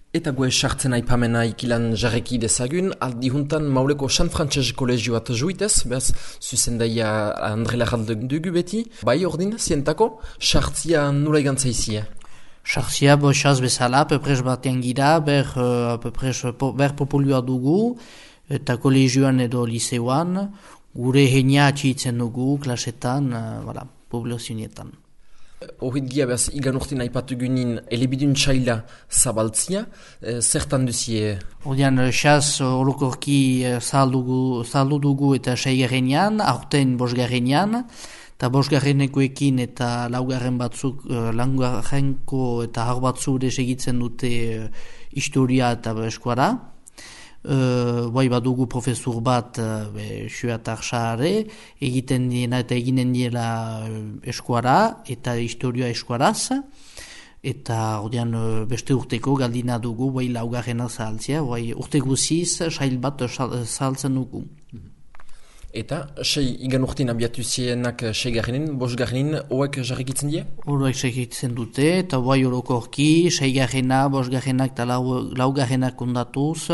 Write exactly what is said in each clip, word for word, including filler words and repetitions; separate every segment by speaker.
Speaker 1: Eta gue sartzen aipamena ikilan jarreki dezagun, aldi juntan Mauleko San Frantses kolegioat juitez, behaz, zuzendaia Andre Larralde dugu beti, bai ordin, zientako, sartzia nula igantzaizia.
Speaker 2: Sartzia, bo, xaz bezala, peprez batean gira, ber, uh, peprez, po, ber populua dugu, eta kolegioan edo liseuan, gure heina atxitzen dugu, klasetan, uh, voilà, populazionietan.
Speaker 1: Horrit gia behaz, igan urtin aipatu gynin elebidun txaila zabaltzia, e, zertan duzie?
Speaker 2: Hordian, xaz, orokorki zahaldu dugu eta seigarrenean, aurten bosgarrenean, eta bosgarrenekoekin eta laugarren batzuk, laugarrenko eta har batzuk segitzen dute historia eta eskuara. Uh, bai badugu profesor bat uh, xuatar xaare egiten diena eta eginen diela eskuara eta historia eskuaraz eta ordean uh, beste urteko galdina dugu bai laugarrena zahaltzea, bai urte guziz sail bat zahaltzen dugu.
Speaker 1: Eta, sei igan urtin abiatu zienak sei garrinin, bos garrinin, hoek jarrikitzen die?
Speaker 2: Hoek jarrikitzen dute, eta bai orokorki, sei garrina, bos garrinak eta lau, lau garrinak kondatuz,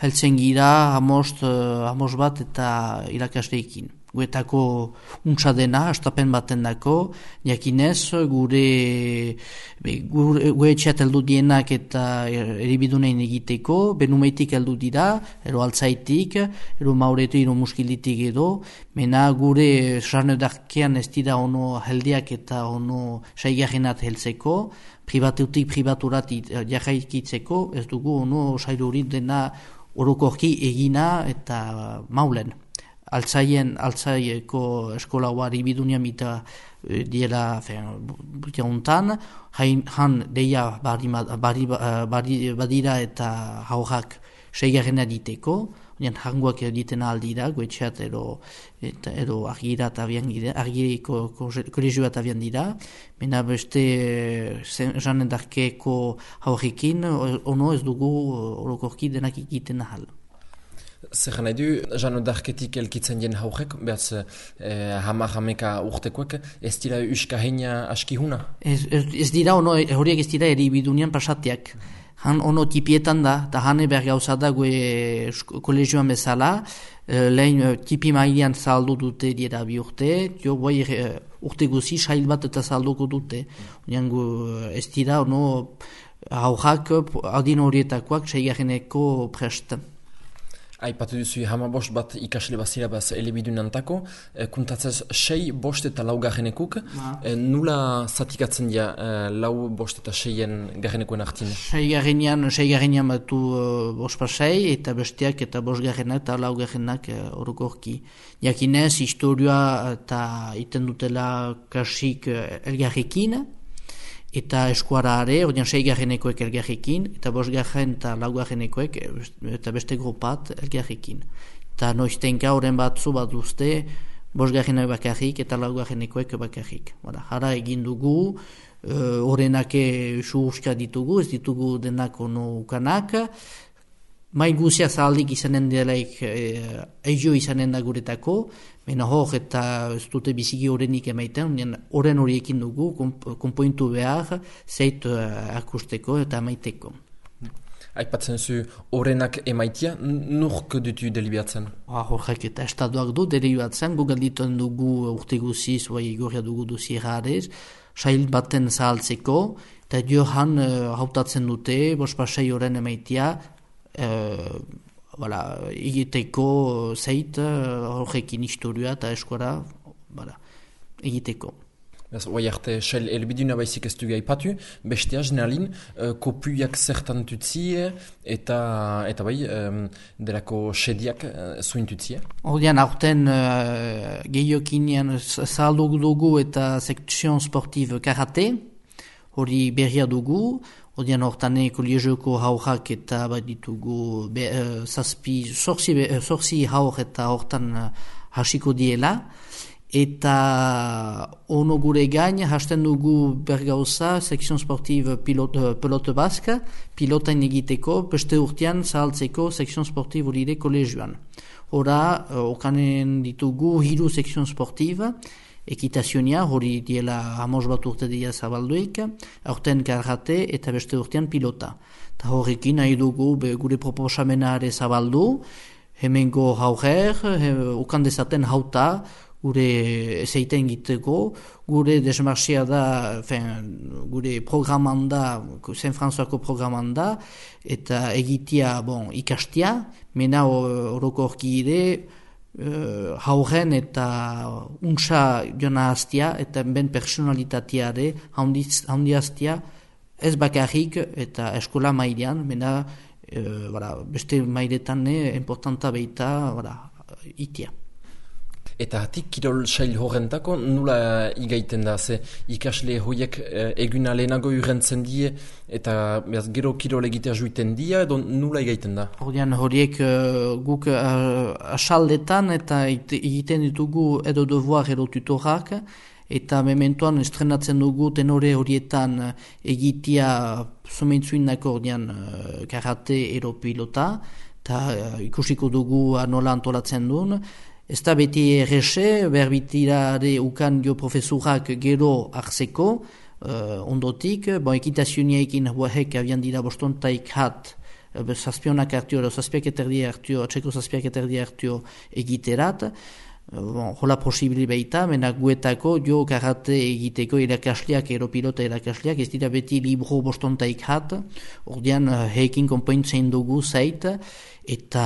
Speaker 2: heltzen gira hamost, hamost bat eta irakasteekin. Guetako untsa dena, astapen baten dako, jakinez, gure, gure, gure etxeat heldu dienak eta eribidunein egiteko, benumeitik heldu dira, ero altzaitik, ero mauretu, ero muskilitik edo, mena gure sarnedarkean ez dira ono heldiak eta ono saigarrenat heltzeko, privateutik privaturat jarraikitzeko, ez dugu ono sailurit dena orokorki egina eta maulen. Altzaien, altzaieko eskola huari bidunia mita e, diela butia untan, han deia bari, bari, bari, badira eta haurrak seigarrena diteko, hangoak ditena aldira, goetxeat ero, eta, ero argira eta abian dira, argiriko kolegioa eta abian dira, mena beste janen darkeko haurrekin, ono ez dugu orokorki denak egiten ahal.
Speaker 1: Zer nahi du, jano darketik elkitzen dien haurek, behaz eh, hamar hameka urtekoek, ez dira uska heina askihuna? Ez,
Speaker 2: ez, ez dira, ono, horiek ez dira eribidunean pasatiak. Han ono tipietan da, eta hane behar gauza da gue kolegioan bezala, eh, lehen tipi mailean zaldu dute dira bi urte, jo bai eh, urte guzi sail bat eta zalduko dute. Onean ez dira, ono, haurrak adin horietakoak seigarreneko prest.
Speaker 1: Aipatu duzu hama bost bat ikasle bazira baz elebidunantako, e, kuntatzez sei bost eta lau garrenekuk, e, nula zatikatzen dira e, lau bost eta seien garrenekoen artin?
Speaker 2: Sei garrenean, sei garrenean batu uh, bost pasei eta besteak eta bost garrenak eta lau garrenak uh, orokorki. Jakinez, historia eta iten dutela kasik uh, elgarrekin, eta eskuarare, ordean seigarrenekoek elgarrekin, eta bosgarren eta laugarrenekoek eta beste grupat elgarrekin. Eta noiztenka horren batzu bat duzte, bosgarrenek bakarrik eta laugarrenekoek bakarrik. Hara egin dugu, horrenak uh, suhuska ditugu, ez ditugu denak ono ukanak, mai guzia zahaldik izanen delaik eh, eizio izanen da guretako, mena hor eta ez dute biziki horrenik emaiten, horren horiekin dugu, konpointu behar, zeit uh, akusteko eta emaiteko.
Speaker 1: Aipatzen zu horrenak emaitia, nurk dutu delibiatzen?
Speaker 2: Horrek eta estatuak du delibiatzen, gu galdituen dugu urte guziz, bai gorria dugu duzi errarez, sail baten zahaltzeko, eta johan uh, hautatzen dute, bospasei horren emaitia, Uh, voilà, egiteko zeit horrekin uh, historia eta eskuara voilà, egiteko.
Speaker 1: Oai arte, xail elbiduna baizik ez dugu aipatu, bestea generalin, uh, kopuiak zertan tutzie eta, eta bai, um, delako sediak uh, zuin tutzie?
Speaker 2: Ordean, aurten uh, gehiokinean zahaldu dugu eta sekzion sportiv karate, hori berria dugu, Odian hortane kolegioko haurrak eta bat ditugu be, uh, zazpi, sorzi, uh, sorzi haur eta hortan uh, hasiko diela. Eta ono gure gain, hasten dugu bergauza, sekzion sportiv pilot, uh, pelote baska, pilotain egiteko, beste urtean zahaltzeko sekzion sportiv horire kolegioan. Hora, uh, okanen ditugu hiru sekzion sportiv, ekitazionia, hori diela hamos bat urte dira zabalduik, aurten karate eta beste urtean pilota. eta horrekin nahi dugu be, gure proposamenare zabaldu, hemengo hauger, he, ukan dezaten hauta, gure ezeiten giteko, gure desmarxia da, fen, gure programan da, Saint Françoisko programan da, eta egitea bon, ikastia, mena orokorki ere, uh, hauren eta untsa jona hastia, eta ben personalitateare handi hastia, ez bakarrik eta eskola mailean, mena uh, bara, beste mailetan importanta beita bara, itia.
Speaker 1: Eta hatik kirol sail horrentako nula igaiten da, ze ikasle horiek eh, eguna lehenago urrentzen die eta behaz, gero kirol egitea juiten dia, edo nula igaiten da?
Speaker 2: Hordian horiek uh, guk uh, asaldetan eta egiten ditugu edo devoir edo tutorak, eta mementoan estrenatzen dugu tenore horietan egitea somentzuinako ordean uh, karate edo pilota, eta uh, ikusiko dugu nola antolatzen duen. Ez da beti errese, berbitirare ukan dio profesurak gero hartzeko, uh, ondotik, bon, ekitazioniekin huahek abian dira bostontaik hat, uh, zazpionak hartio, edo zazpiak eterdi hartio, atxeko zazpiak eterdi hartio egiterat, Bon, hola posibili baita, mena guetako jo karate egiteko irakasleak, ero pilota irakasleak, ez dira beti libro bostontaik hat, ordean heikin konpointzen dugu zait, eta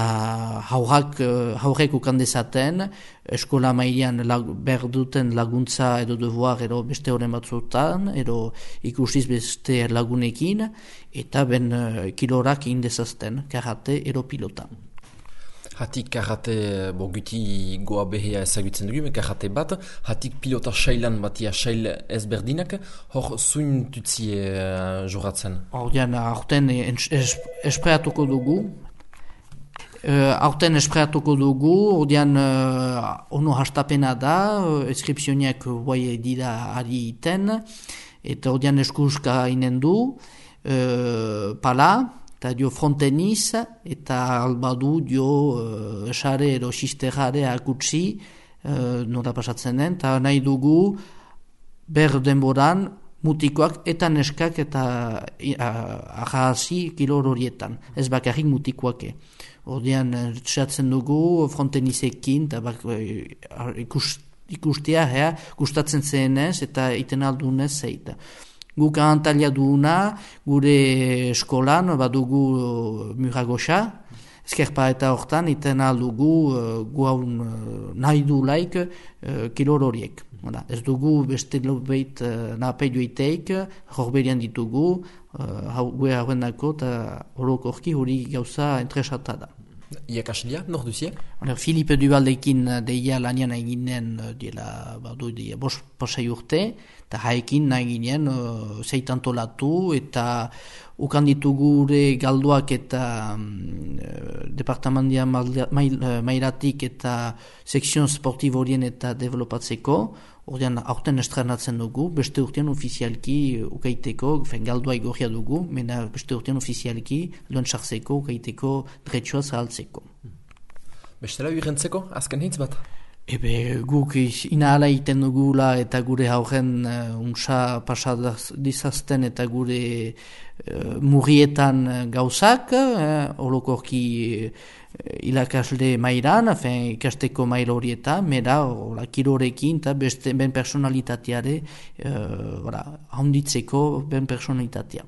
Speaker 2: haurrak, haurrek ukan dezaten, eskola mailean lag, berduten laguntza edo devoir edo beste horren batzutan, edo ikusiz beste lagunekin, eta ben kilorak indezazten, karate edo pilota.
Speaker 1: Hatik karate, bo guti goa behea ezagutzen dugu, karate bat, hatik pilota sailan batia sail ezberdinak, hor zuin tutzie uh, joratzen?
Speaker 2: Ordean, aurten espreatuko dugu, uh, aurten espreatuko dugu, ordean uh, ono hastapena da, inskripzioniak guai dira ari iten, eta ordean eskuska inen du, uh, pala, eta dio fronteniz, eta albadu dio uh, esare ero sisterare akutsi uh, nora pasatzen den, eta nahi dugu ber denboran mutikoak eta neskak eta ahasi kilor horietan, ez bakarrik mutikoake. Ordean txatzen dugu frontenizekin, eta bak, ikus, ikustea, hea, gustatzen zenez eta iten aldunez zeita. Guk ahantalia duguna, gure eskolan, badugu uh, muragoxa, ezkerpa eta hortan, iten aldugu uh, guaun uh, nahi du laik uh, kilor horiek. Ez dugu beste lobeit uh, nape joiteik, horberian ditugu, uh, gue hauen dako, eta horokorki hori gauza entresata da.
Speaker 1: Iakaslia, nor duzie?
Speaker 2: Filipe Dubaldekin deia lanian eginen dela badu deia bos pasai urte, eta haekin nahi ginen uh, zeitantolatu eta ukan ditugu gure galduak eta um, departamentia mairatik eta sekzion sportibo horien eta developatzeko, ordean aurten estrenatzen dugu, beste urtean ofizialki ukaiteko, fen galdua igorria dugu, mena beste urtean ofizialki luen sartzeko, ukaiteko dretsua zahaltzeko.
Speaker 1: Bestela urrentzeko, azken hitz bat?
Speaker 2: Ebe guk inahala iten dugula eta gure hauren uh, unsa pasadizazten eta gure uh, murrietan gauzak, uh, holokorki uh, ilakasle mairan, afen, ikasteko maila horietan, mera ola, kirorekin eta beste ben personalitateare uh, handitzeko ben personalitatea.